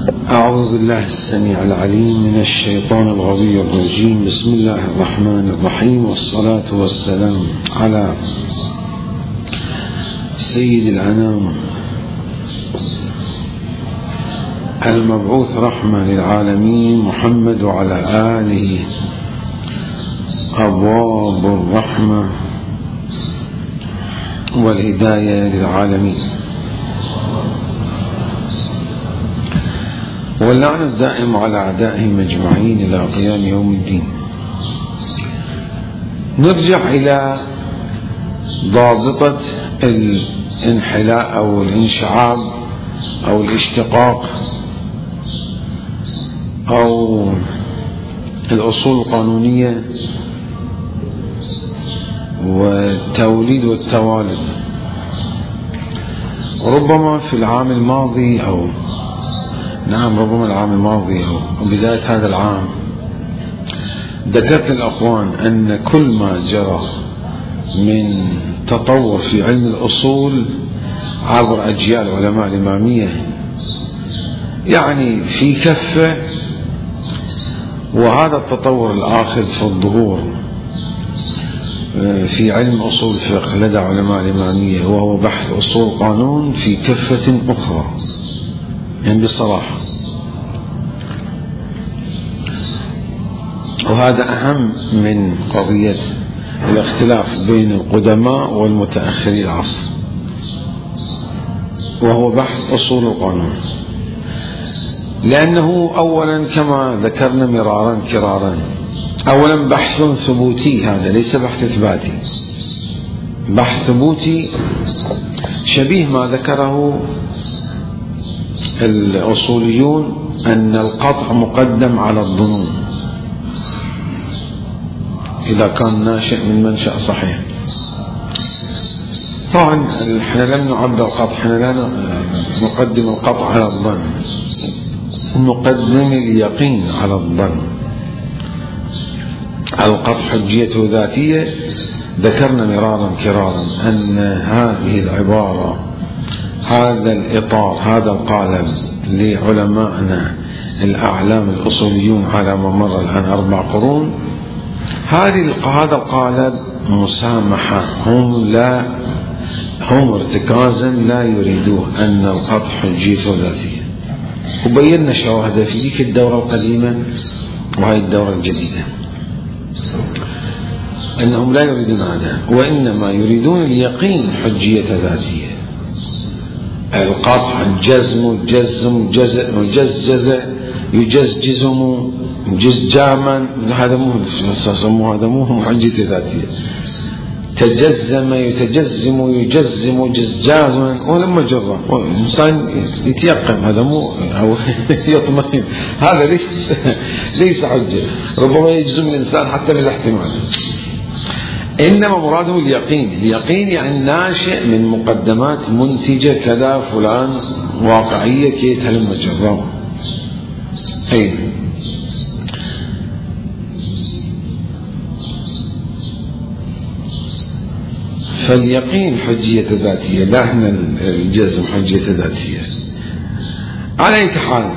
أعوذ بالله السميع العليم من الشيطان الغوي الرجيم. بسم الله الرحمن الرحيم، والصلاة والسلام على سيد الأنام المبعوث رحمة للعالمين محمد، وعلى آله أبواب الرحمة والهداية للعالمين، واللعنة الدائم على أعدائهم أجمعين إلى قيام يوم الدين. نرجع إلى ضابطة الانحلاء أو الانشعاب أو الاشتقاق أو الأصول القانونية والتوليد والتوالد. ربما في العام الماضي ربما العام الماضي أو بداية هذا العام ذكرت الأخوان أن كل ما جرى من تطور في علم الأصول عبر أجيال علماء الإمامية يعني في كفة، وهذا التطور الآخر في الظهور في علم أصول الفقه لدى علماء الإمامية، وهو بحث أصول القانون في كفة أخرى. يعني بصراحة، وهذا أهم من قضية الاختلاف بين القدماء والمتأخري العصر، وهو بحث أصول القانون. لأنه أولا كما ذكرنا مرارا كرارا، أولا بحث ثبوتي، هذا ليس بحث إثباتي، بحث ثبوتي شبيه ما ذكره الأصوليون أن القطع مقدم على الظنون إذا كان ناشئ من منشأ صحيح. طبعا احنا لم نعبر القطع، احنا لا نقدم القطع على الظن، نقدم اليقين على الظن. القطع حجيته ذاتية، ذكرنا مرارا كرارا أن هذه العبارة، هذا الإطار، هذا القالب لعلمائنا الأعلام الأصوليون على مر الآن 4 قرون، هذا القالب مسامحة، هم ارتكازا لا يريدوه أن القطع حجيته ذاتية. وبينا شواهد في ذيك الدورة القديمة وهي الدورة الجديدة أنهم لا يريدون هذا، وإنما يريدون اليقين حجية ذاتية. القطع الجزم يجزم جزجاما، هذا مو حجية ذاتية. تجزم يجزم جزجازا، ولما جرى الإنسان يتيقن، هذا مو أو يطمئن، هذا ليس حجة. ربما يجزم الإنسان حتى بالاحتمال، إنما مراده اليقين يعني ناشئ من مقدمات منتجة كذا فلان واقعية كيت هلم جرى. فاليقين حجية ذاتية، لا هنا الجزم حجية ذاتية. على أي حال،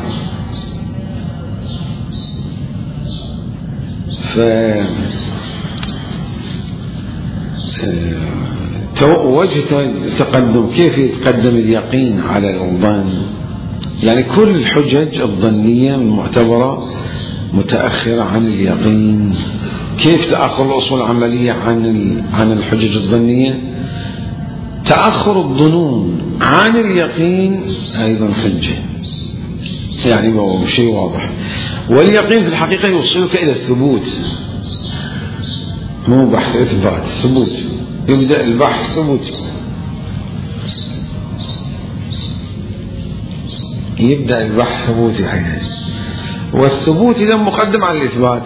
وجه تقدم، كيف يتقدم اليقين على الظن؟ يعني كل الحجج الظنية المعتبرة متأخرة عن اليقين. كيف تأخر الأصول العملية عن الحجج الظنية؟ تأخر الظنون عن اليقين أيضا حجة، يعني هو شيء واضح. واليقين في الحقيقة يوصلك إلى الثبوت، مو بحث إثبات، ثبوت. يبدأ البحث ثبوت، يبدأ البحث ثبوتي حين، والثبوت إذا مقدم على الإثبات.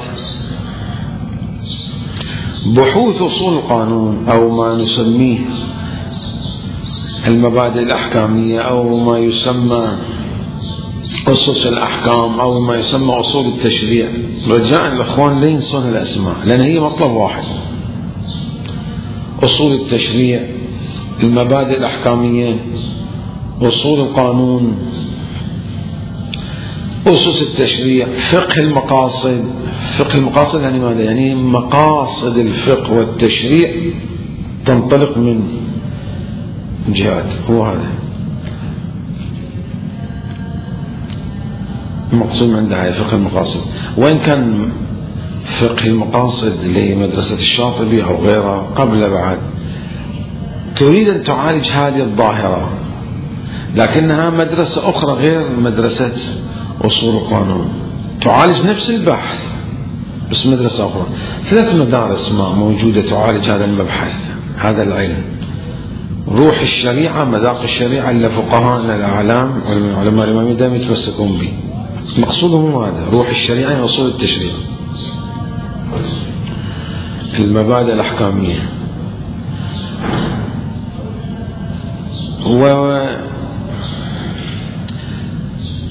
بحوث أصول القانون أو ما نسميه المبادئ الأحكامية أو ما يسمى أسس الأحكام أو ما يسمى أصول التشريع، رجاء الأخوان لا ينسون الأسماء، لأن هي مطلب واحد. أصول التشريع، المبادئ الأحكامية، أصول القانون، أسس التشريع، فقه المقاصد. فقه المقاصد يعني ماذا؟ يعني مقاصد الفقه والتشريع تنطلق من جهات، هو هذا المقصود عندها فقه المقاصد. وإن كان فقه المقاصد لمدرسة الشاطبي أو غيرها قبل بعد تريد أن تعالج هذه الظاهرة، لكنها مدرسة أخرى غير مدرسة أصول القانون، تعالج نفس البحث بس مدرسة أخرى. 3 مدارس موجودة تعالج هذا المبحث، هذا العلم. روح الشريعة، مذاق الشريعة اللي فقهاءنا الأعلام علماء الإمامية دائما يتمسكون به، مقصودهم هذا روح الشريعة يعني أصول التشريع، المبادئ الأحكامية.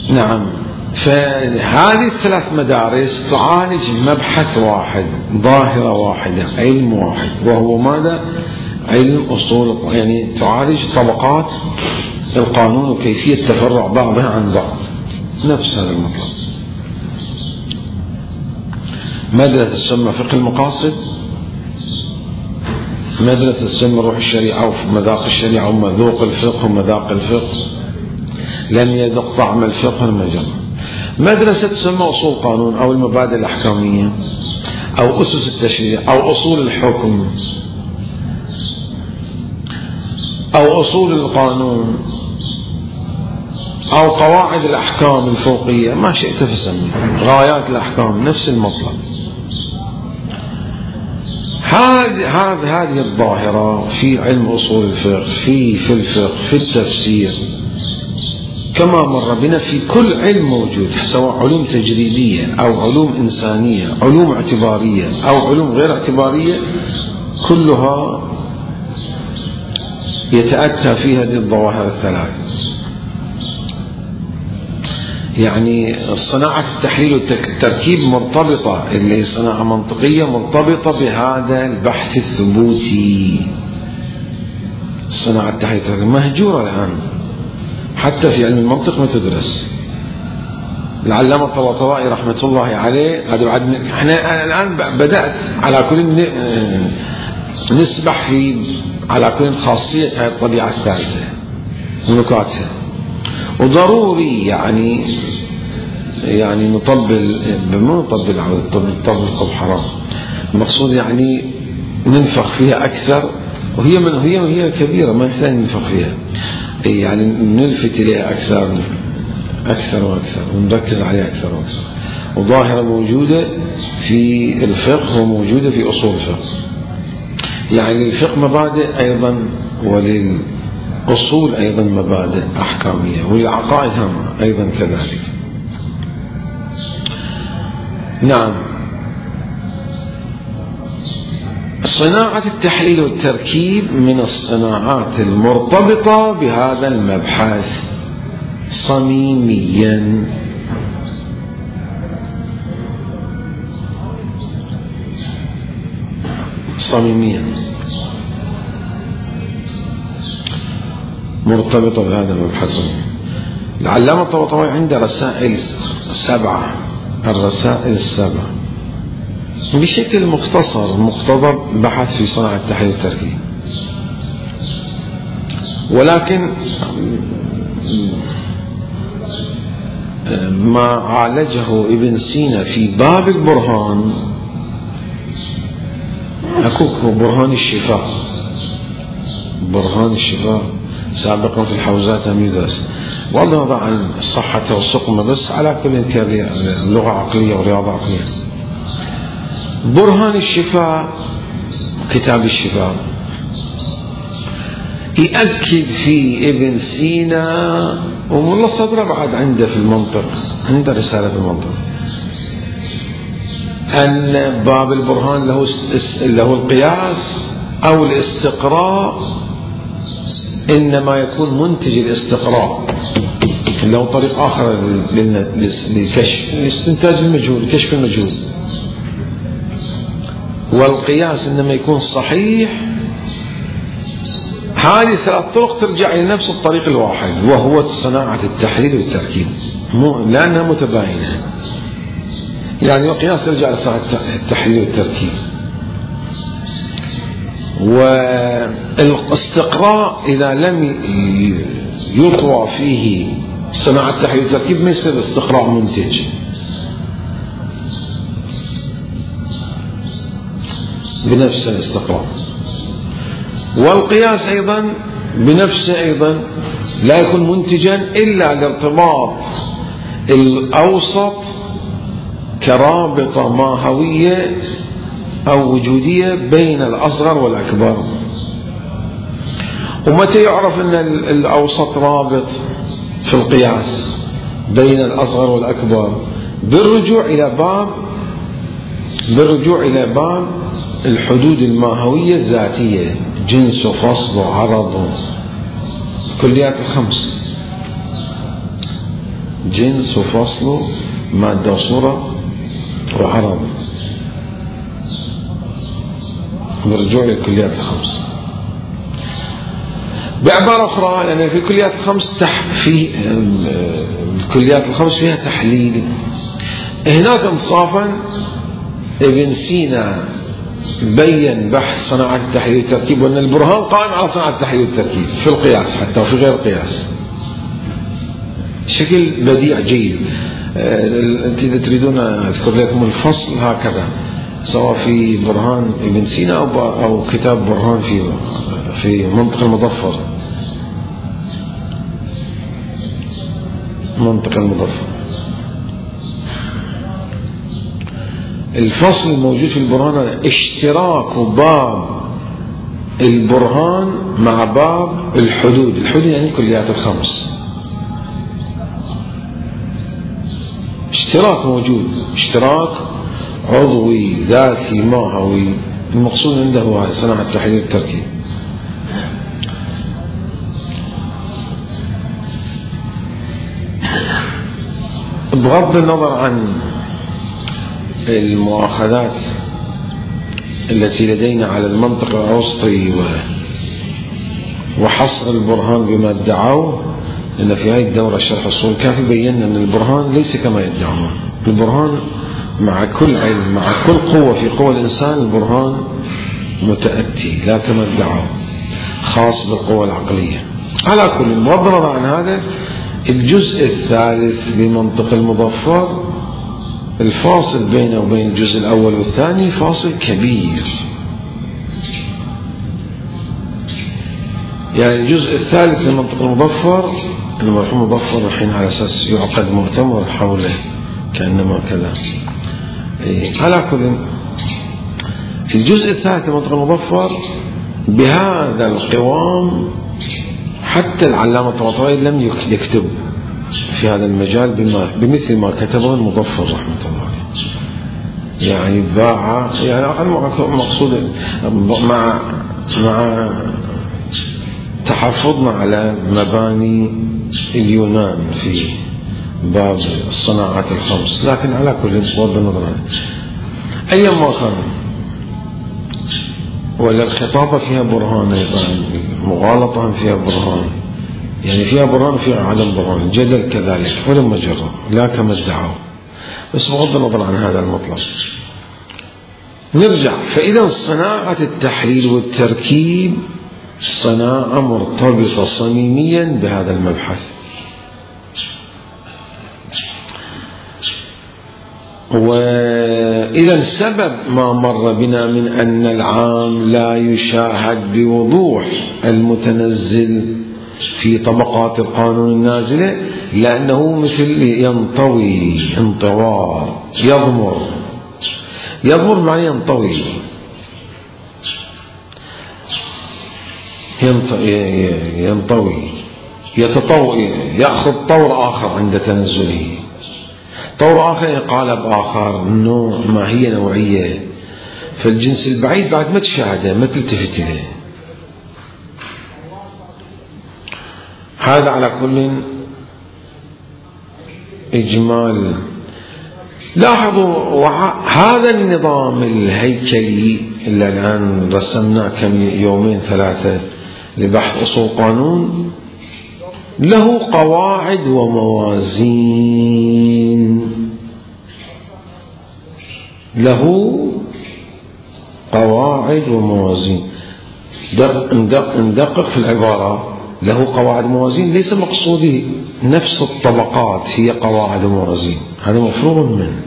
نعم، فهذه ال3 مدارس تعالج مبحث واحد، ظاهرة واحدة، علم واحد، وهو ماذا؟ علم أصول، يعني تعالج طبقات القانون وكيفية تفرع بعضها عن بعض، نفس هذا المطلب. مدرسة تسمى فقه المقاصد، مدرسة تسمى روح الشريعة ومذاق الشريعة ومذوق الفقه ومذاق الفقه، لم يذق طعم الفقه المجمع. مدرسة تسمى أصول القانون أو المبادئ الأحكامية أو أسس التشريع أو أصول الحكم أو أصول القانون أو قواعد الأحكام الفوقية، ما شئت فسمي، غايات الأحكام، نفس المطلب. هذه الظاهرة في علم أصول الفقه، في الفقه، في التفسير، كما مر بنا في كل علم موجود، سواء علوم تجريبية أو علوم إنسانية، علوم اعتبارية أو علوم غير اعتبارية، كلها يتأتى في هذه الظواهر ال3. يعني صناعة التحليل والتركيب مرتبطة، اللي هي صناعة منطقية مرتبطة بهذا البحث الثبوتي. صناعة التحليل والتركيب مهجورة الآن، حتى في علم المنطق ما تدرس. العلامة الطباطبائي رحمة الله عليه، احنا الآن بدأت على كل نسبح في على كل خاصية الطبيعة الثالثة ونكاتها، وضروري يعني نطبل، مو نطبل على الطبل حرام، المقصود يعني ننفخ فيها أكثر، وهي كبيرة ما يحتاج ننفخ فيها، يعني نلفت إليها أكثر وأكثر ونركز عليها أكثر وأكثر. وظاهرة موجودة في الفقه وموجودة في أصول الفقه، يعني الفقه مبادئ أيضا، وللأصول أيضا مبادئ أحكامية، وللعقائد هم أيضا كذلك. نعم، صناعة التحليل والتركيب من الصناعات المرتبطة بهذا المبحث صميميا. مرتبطة بهذا المبحث. العلامة الطباطبائي عنده رسائل 7، الرسائل 7 بشكل مختصر مقتضب بحث في صناعة التحليل والتركيب، ولكن ما عالجه ابن سينا في باب البرهان، أكوك برهان الشفاء سابقا في الحوزات هم يدرس، بغض النظر عن الصحة والسقم، بس على كل لغة عقلية ورياضة عقلية. برهان الشفاء، كتاب الشفاء، يأكد في ابن سينا، وملا صدره بعد عنده في المنطق، عنده رسالة في المنطق، أن باب البرهان له القياس أو الاستقراء، إنما يكون منتج الاستقراء له طريق آخر للكشف، لاستنتاج المجهول، كشف المجهول. والقياس إنما يكون صحيح. هذه 3 طرق ترجع إلى نفس الطريق الواحد، وهو صناعة التحليل والتركيب. لأنها متباينة. يعني القياس يرجع لصناعة التحليل والتركيب، والاستقراء إذا لم يطوى فيه صناعة التحليل والتركيب ما يصير استقراء منتج. بنفس الاستقراء. والقياس أيضا بنفسه أيضا لا يكون منتجا إلا لارتباط الأوسط كرابطة ماهوية أو وجودية بين الأصغر والأكبر. ومتى يعرف أن الأوسط رابط في القياس بين الأصغر والأكبر؟ بالرجوع إلى باب الحدود الماهوية الذاتية، جنس وفصل وعرض، كليات الخمس، جنس وفصل مادة وصورة وعرض، بالرجوع للكليات الخمس. بعبارة أخرى، لأن في الكليات الخمس في الكليات الخمس فيها تحليل. هناك انصافا ابن سينا بين بحث صناعة التحليل والتركيب، وأن البرهان قائم على صناعة التحليل والتركيب في القياس حتى وفي غير القياس بشكل بديع جيد. أنت إذا تريدون أذكر لكم الفصل هكذا، سواء في برهان ابن سينا أو كتاب برهان في منطق المظفر. الفصل الموجود في البرهان اشتراك باب البرهان مع باب الحدود. الحدود يعني كليات الخمس، اشتراك موجود، اشتراك عضوي ذاتي ماهوي. المقصود عنده هو صناعة التحليل والتركيب. بغض النظر عن المؤاخذات التي لدينا على المنطق الأوسطي وحصر البرهان بما ادعوا، لأن في هذه الدورة الشرح الأصول الكافي بينا أن البرهان ليس كما يدعون. البرهان مع كل علم، مع كل قوة في قوى الإنسان، البرهان متأتي لا كما ادعوا، خاص بالقوة العقلية. على كل، بغض النظر عن هذا، الجزء الثالث بمنطق المظفر الفاصل بينه وبين الجزء الأول والثاني فاصل كبير. يعني الجزء الثالث لمنطق المظفر، المرحوم مظفر الحين على أساس يعقد مؤتمر حوله كأنما كذا. على كل، الجزء الثالث لمنطق المظفر بهذا القوام حتى العلامة الطباطبائي لم يكتب في هذا المجال بمثل ما كتبه المظفر رحمة الله. يعني باع، يعني مقصود مع تحفظنا على مباني اليونان في باب الصناعات الخمس، لكن على كل بغض النظر أي ما كان، ولا الخطابة فيها برهان أيضا، مغالطة فيها برهان، يعني فيها برهان وفيها عدم برهان، جدل كذلك ولم مجرى لا كما ادعوا، بس بغض النظر عن هذا المطلب. نرجع، فإذا صناعة التحليل والتركيب صناعة مرتبطة صميميا بهذا المبحث. وإذا سبب ما مر بنا من أن العام لا يشاهد بوضوح المتنزل في طبقات القانون النازلة، لأنه مثل ينطوي انطوار، يضمر معنى ينطوي، يتطوي، يأخذ طور آخر عند تنزله، طور آخر قالب آخر، نوع، ماهية نوعية. فالجنس البعيد بعد ما تشاهده ما تلتفت إليه. هذا على كل إجمال. لاحظوا هذا النظام الهيكلي اللي الآن رسمناه كم يومين ثلاثة لبحث أصول قانون، له قواعد وموازين، له قواعد وموازين. ندقق في العبارة، له قواعد وموازين، ليس مقصودي نفس الطبقات هي قواعد وموازين، هذا مفروغ منه.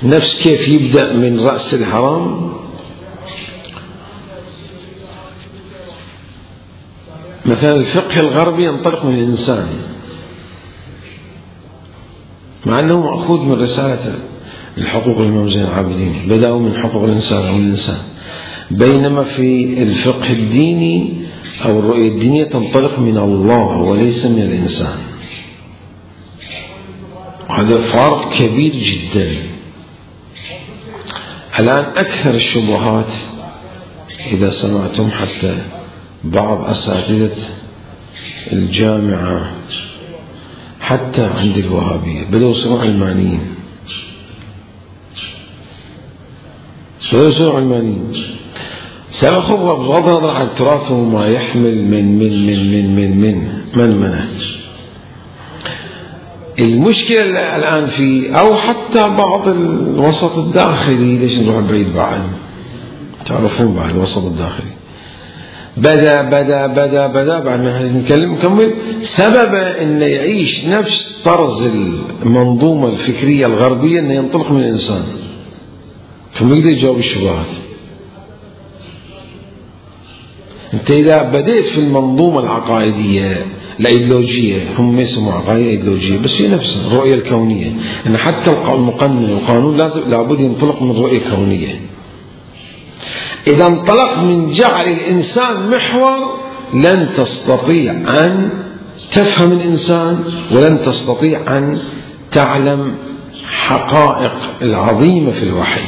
نفس كيف يبدأ من رأس الهرم، مثلا الفقه الغربي ينطلق من الإنسان، مع أنه مأخوذ من رسالة الحقوق الإمام زين العابدين، بدأوا من حقوق الإنسان أو الإنسان، بينما في الفقه الديني أو الرؤية الدينية تنطلق من الله وليس من الإنسان. هذا فرق كبير جدا. الآن أكثر الشبهات إذا سمعتم حتى بعض أساتذة الجامعة حتى عند الوهابية بدأوا يصيروا علمانيين، سيأخذ بغض النظر عن التراث وما يحمل من منهج. المشكلة الآن في أو حتى بعض الوسط الداخلي، ليش نروح بعيد بعد، تعرفون بعد الوسط الداخلي بدأ بعد ما نكمل سبب أن يعيش نفس طرز المنظومة الفكرية الغربية، أن ينطلق من الإنسان، فما يقدر يجاوب الشبهات. أنت إذا بدأت في المنظومة العقائدية الأيديولوجية، هم يسموا عقائد أيديولوجية، بس هي نفسها الرؤية الكونية، أن حتى المقنن والقانون لابد ينطلق من رؤية كونية. إذا انطلق من جعل الإنسان محور لن تستطيع أن تفهم الإنسان، ولن تستطيع أن تعلم حقائق العظيمة في الوحي.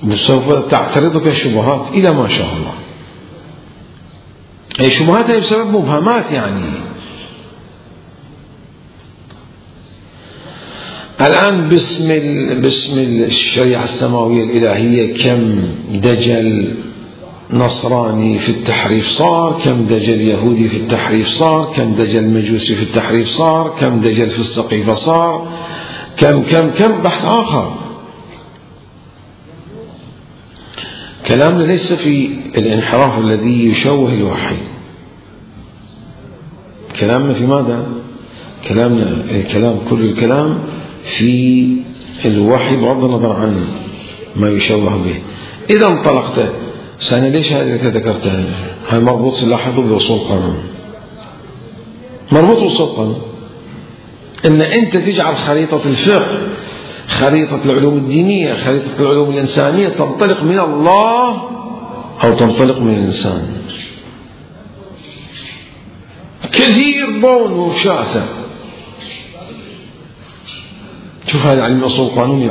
وسوف تعترضك الشبهات إلى ما شاء الله. أي شبهات هي بسبب مبهمات يعني. الآن باسم الشريعة السماوية الإلهية كم دجل نصراني في التحريف صار، كم دجل يهودي في التحريف صار، كم دجل مجوسي في التحريف صار، كم دجل في السقيفة صار، كم بحث آخر. كلامنا ليس في الانحراف الذي يشوه الوحي، كلامنا في ماذا؟ كل الكلام في الوحي بغض النظر عن ما يشوه به. إذا انطلقت سنة، ليش هذه اللي ذكرتها؟ هاي مربوط، لاحظوا، بوصول قانون، مربوط بوصول قانون، إن أنت تجعل خريطة الفقه، خريطة العلوم الدينية، خريطة العلوم الإنسانية تنطلق من الله أو تنطلق من الإنسان. كثير بون وشاسع. شوف هذا علم أصول القانون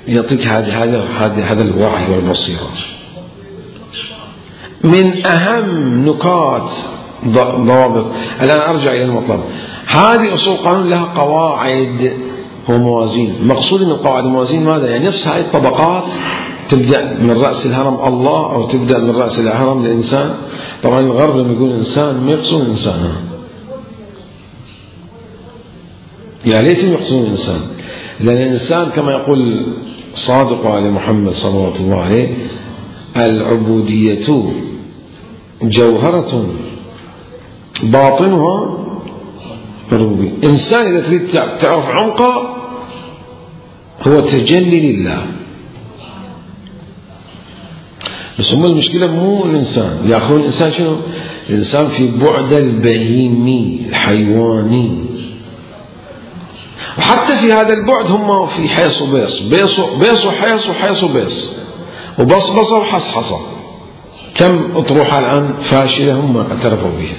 يعطيك هذا الوعي والبصيرة. من أهم نقاط ضوابط. الآن أرجع إلى المطلب. هذه أصول القانون لها قواعد وموازين. مقصود من القواعد والموازين ماذا؟ يعني نفس هذه الطبقات، تبدأ من رأس الهرم الله أو تبدأ من رأس الهرم الإنسان. طبعا الغرب لما يقول إنسان ما يقصد الإنسان، يعني ليس يقصد الإنسان، لأن الإنسان كما يقول صادق على محمد صلوات الله عليه: العبودية جوهرة باطنها ربوبية. إنسان إذا تريد تعرف عمقه هو تجلي لله. بس هم المشكلة مو الإنسان، يأخذون الإنسان شنو؟ الإنسان في بعد البهيمي الحيواني، وحتى في هذا البعد هم في حيص وبيص، بيص وحيص وحيص وبيص، وبصبصة وحصحصة. كم أطروحة الآن فاشلة هم اعترفوا بها.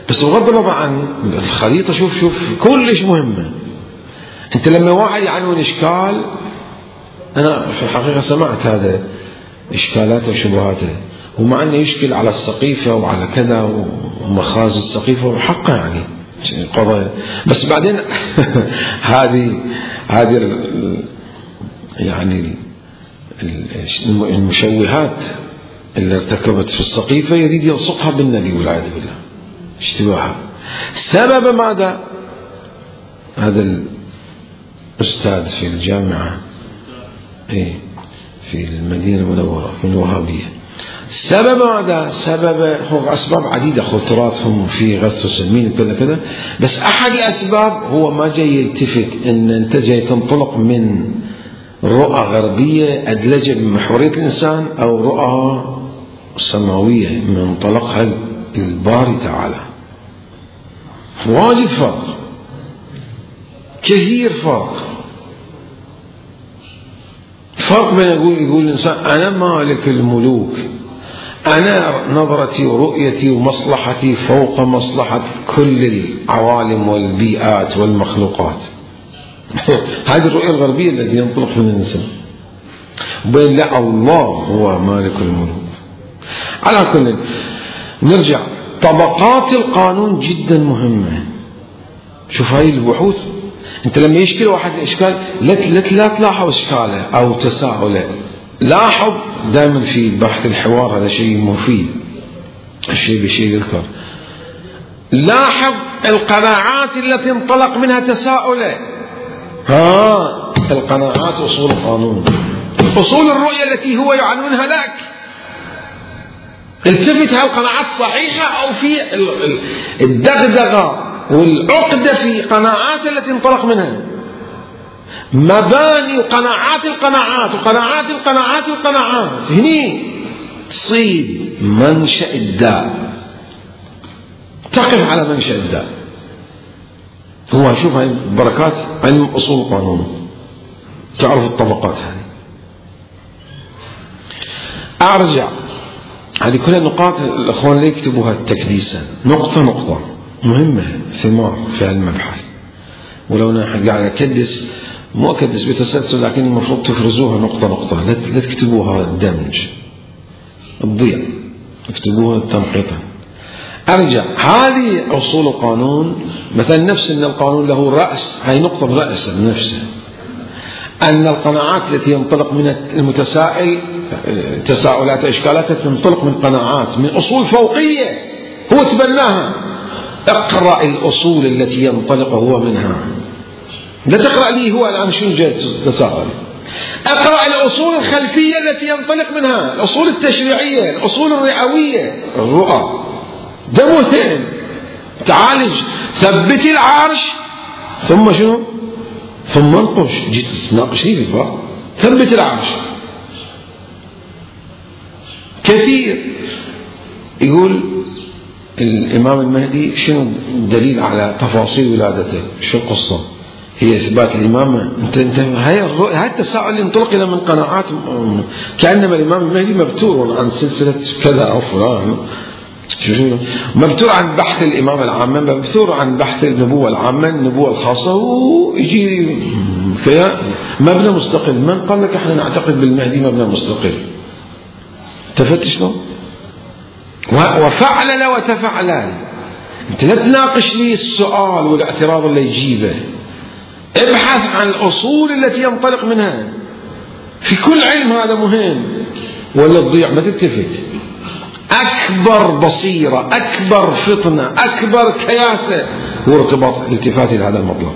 بس بغض النظر عن الخريطة، شوف كلش مهمة. أنت لما واحد عنده إشكال، أنا في الحقيقة سمعت هذا إشكالاته وشبهاته، ومع أنه يشكل على السقيفة وعلى كذا ومخازن السقيفة وحقه يعني قضايا، بس بعدين هذه يعني المشوهات اللي ارتكبت في السقيفة يريد يلصقها بالنبي والعياذ بالله اشتباهها. سبب ماذا؟ هذا الأستاذ في الجامعة في المدينة المنورة في الوهابية، سبب ماذا؟ سبب هو أسباب عديدة، تراثهم في غث وسمين كذا كذا، بس أحد الأسباب هو ما جاي يلتفت إن أنت جاي تنطلق من رؤى غربية أدلجة بمحورية الإنسان أو رؤى سماوية من منطلقها الباري تعالى. واجد فرق، كثير فرق بين يقول الإنسان أنا مالك الملوك، أنا نظرتي ورؤيتي ومصلحتي فوق مصلحة كل العوالم والبيئات والمخلوقات. هذه الرؤية الغربية التي ينطلق من الإنسان، بين لا الله هو مالك الملوك. على كل نرجع، طبقات القانون جدا مهمة. شوف هاي البحوث، انت لما يشكل واحد اشكال لا تلاحظ اشكاله او تساؤله، لاحظ دائما في بحث الحوار، هذا شيء مفيد، الشيء بشيء يذكر. لاحظ القناعات التي انطلق منها تساؤله، القناعات اصول القانون، اصول الرؤية التي هو يعنونها لك. التفت هل القناعات صحيحة او في الدغدغة والعقدة في قناعات التي انطلق منها، مباني وقناعات القناعات هني تصيب منشأ الداء، تقف على منشأ الداء. هو شوف هاي بركات علم أصول القانون، تعرف الطبقات هذه. أرجع، هذه كلها نقاط الأخوان لا يكتبوها تكديسا، نقطة مهمة، ثمار في المبحث. ولو أنا قاعد أكدس، مو أكدس بتسلسل، لكن المفروض تفرزوها نقطة، لا تكتبوها دمج تضيع، اكتبوها تنقيطا. أرجع، هذه أصول القانون، مثلا نفس أن القانون له رأس، هاي نقطة رأس نفسه، أن القناعات التي ينطلق من المتسائل تساؤلات إشكالات تنطلق من قناعات، من أصول فوقية هو تبناها. اقرأ الأصول التي ينطلق هو منها، لا تقرأ لي هو الآن شنو جاي تساءل. اقرأ الأصول الخلفية التي ينطلق منها، الأصول التشريعية، الأصول الرئوية، الرؤى. ده مهم. تعالج، ثبت العرش، ثم شنو؟ ثم انقش. جيت تناقشني في الفقه، ثبت العرش. كثير يقول الإمام المهدي شنو الدليل على تفاصيل ولادته؟ شو القصة؟ هي إثبات الإمامة. أنت هاي التساؤل اللي انطلق إلى من قناعات، كأنما الإمام المهدي مبتور عن سلسلة كذا أو فلان، مبتور عن بحث الإمامة العامة، مبتور عن بحث النبوة العامة، النبوة الخاصة، ويجي مبنى مستقل. من قال لك احنا نعتقد بالمهدي مبنى مستقل؟ تفتش له وفعلل وتفعلل. انت لا تناقش لي السؤال والاعتراض اللي يجيبه، ابحث عن الأصول التي ينطلق منها في كل علم. هذا مهم، ولا تضيع، ما تلتفت. أكبر بصيرة، أكبر فطنة، أكبر كياسة هو ارتباط الالتفات إلى هذا المطلب.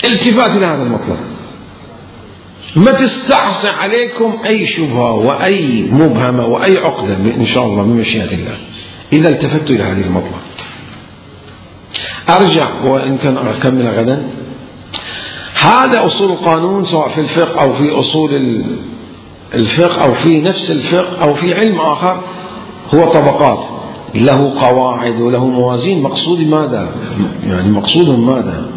التفات إلى هذا المطلب، ما تستعصي عليكم أي شبهة وأي مبهمة وأي عقدة إن شاء الله بمشيئة الله إذا التفت إلى هذه المطلب. أرجع وإن كان أكمل غدا. هذا أصول القانون، سواء في الفقه أو في أصول الفقه أو في نفس الفقه أو في علم آخر، هو طبقات، له قواعد وله موازين. مقصود ماذا؟ يعني مقصودهم ماذا؟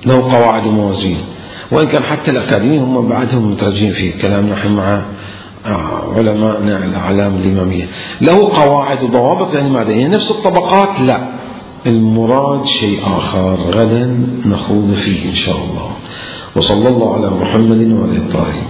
له قواعد وموازين. وإن كان حتى الأكاديميين هم بعدهم مترجين في كلامنا نحن مع علماءنا الأعلام الإمامية. له قواعد وضوابط، يعني ماذا؟ يعني نفس الطبقات؟ لا، المراد شيء آخر غدا نخوض فيه إن شاء الله. وصلى الله على محمد وعلى آله الطاهرين.